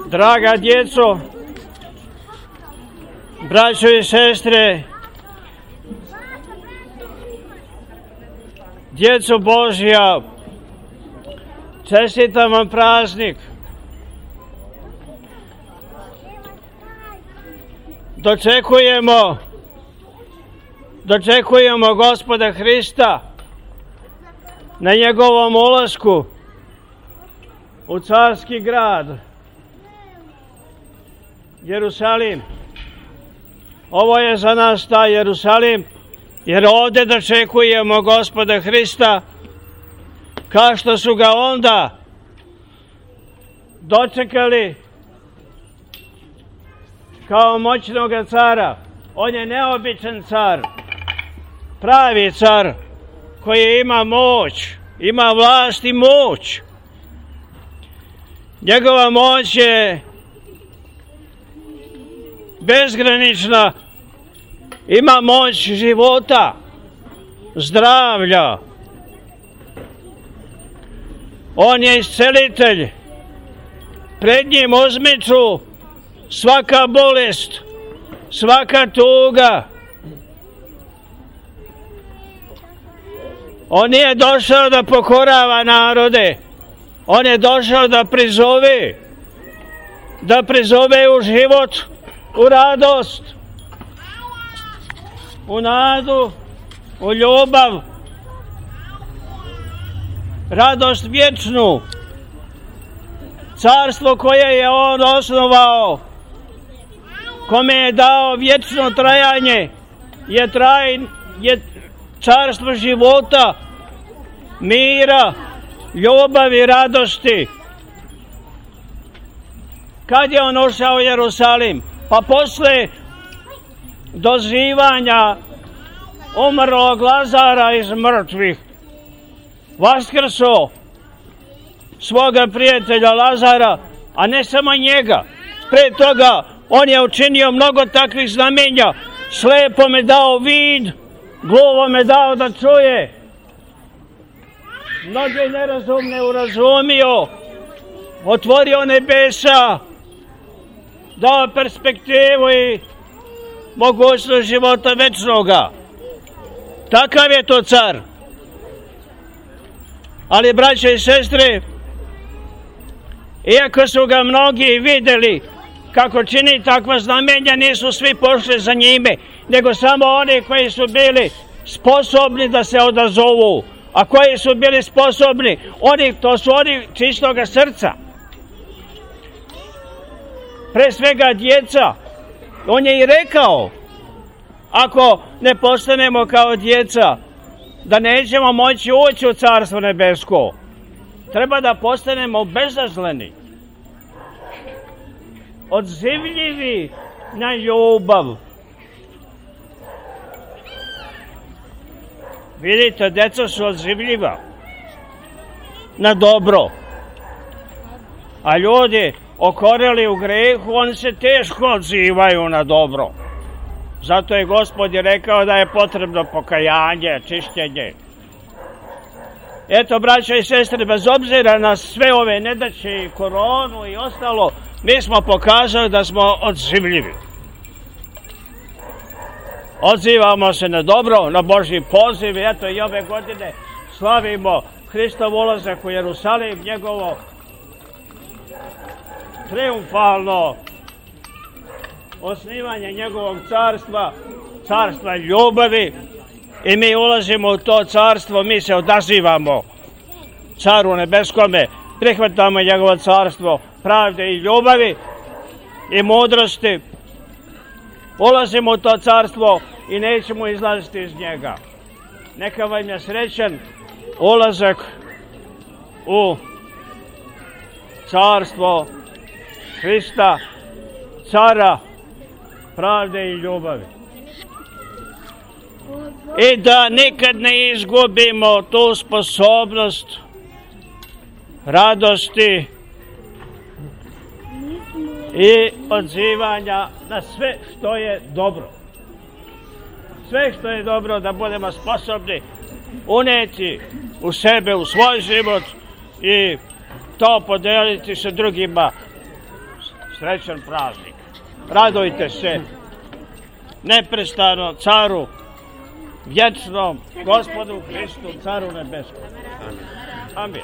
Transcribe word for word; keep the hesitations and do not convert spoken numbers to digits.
Draga djeco, braćo i sestre, djeco Božja, čestitam vam praznik. Dočekujemo, dočekujemo Gospoda Hrista na njegovom ulasku u carski grad Jerusalim. Ovo je za nas taj Jerusalim, jer ovdje dočekujemo Gospoda Hrista kao što su ga onda dočekali kao moćnog cara. On je neobičan car, pravi car koji ima moć, ima vlast i moć. Njegova moć je bezgranična, ima moć života, zdravlja. On je iscelitelj. Pred njim uzmiču svaka bolest, svaka tuga. On nije došao da pokorava narode. On je došao da prizove, da prizove u život, u radost, u nadu, u ljubav, radost vječnu. Carstvo koje je on osnovao, kome je dao vječno trajanje, je, traj, je carstvo života, mira, ljubavi, radosti. Kad je on ušao u Jerusalim? Pa posle dozivanja umrlog Lazara iz mrtvih, vaskrso svoga prijatelja Lazara, a ne samo njega. Pre toga on je učinio mnogo takvih znamenja. Slepome dao vid, gluvome dao da čuje, mnoge nerazumne urazumio, otvorio nebesa, dao perspektivu i mogućnost života večnoga. Takav je to car. Ali, braće i sestre, iako su ga mnogi vidjeli kako čini takva znamenja, nisu svi pošli za njime, nego samo oni koji su bili sposobni da se odazovu. A koji su bili sposobni? Oni, to su oni čistoga srca. Pre svega djeca. On je i rekao, ako ne postanemo kao djeca, da nećemo moći ući u Carstvo nebesko. Treba da postanemo bezazleni, odzivljivi na ljubav. Vidite, djeca su odzivljiva na dobro. A ljudi okoreli u grehu, oni se teško odzivaju na dobro. Zato je Gospod rekao da je potrebno pokajanje, čišćenje. Eto, braćo i sestre, bez obzira na sve ove nedaće i koronu i ostalo, mi smo pokazali da smo odzivljivi. Odzivamo se na dobro, na Božji poziv. Eto, i ove godine slavimo Hristov ulazak u Jerusalim, njegovo triumfalno osnivanje njegovog carstva, carstva ljubavi. I mi ulazimo u to carstvo, mi se odazivamo caru nebeskome, prihvatamo njegovo carstvo pravde i ljubavi i mudrosti. Ulazimo u to carstvo i nećemo izlaziti iz njega. Neka vam je srećan ulazak u carstvo Hrista, cara pravde i ljubavi. I da nikad ne izgubimo tu sposobnost radosti i odzivanja na sve što je dobro. Sve što je dobro da budemo sposobni uneti u sebe, u svoj život i to podeliti sa drugima. srećan praznik. Radujte se neprestano caru vječnom, Gospodu Hristu, caru nebeskom. Amin.